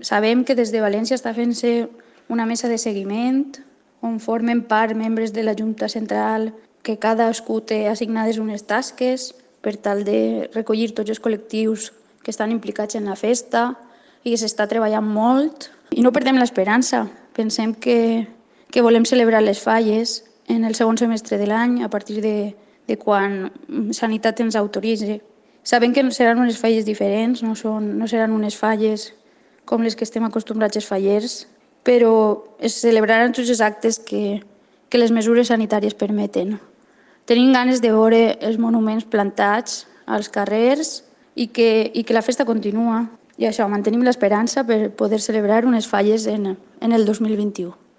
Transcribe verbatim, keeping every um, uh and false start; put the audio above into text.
Sabem que des de València està fent-se una mesa de seguiment on formen part membres de la Junta Central que cadascú té assignades unes tasques per tal de recollir tots els col·lectius que estan implicats en la festa i que s'està treballant molt. I no perdem l'esperança. Pensem que, que volem celebrar les falles en el segon semestre de l'any a partir de, de quan Sanitat ens autoritzi. Sabem que seran unes falles diferents, no, són, no seran unes falles com les que estem acostumbrats els fallers, però es celebraran tots els actes que, que les mesures sanitàries permeten. Tenim ganes de veure els monuments plantats als carrers i que, i que la festa continua. I això, mantenim l'esperança per poder celebrar unes falles en, en el dos mil vint-i-u.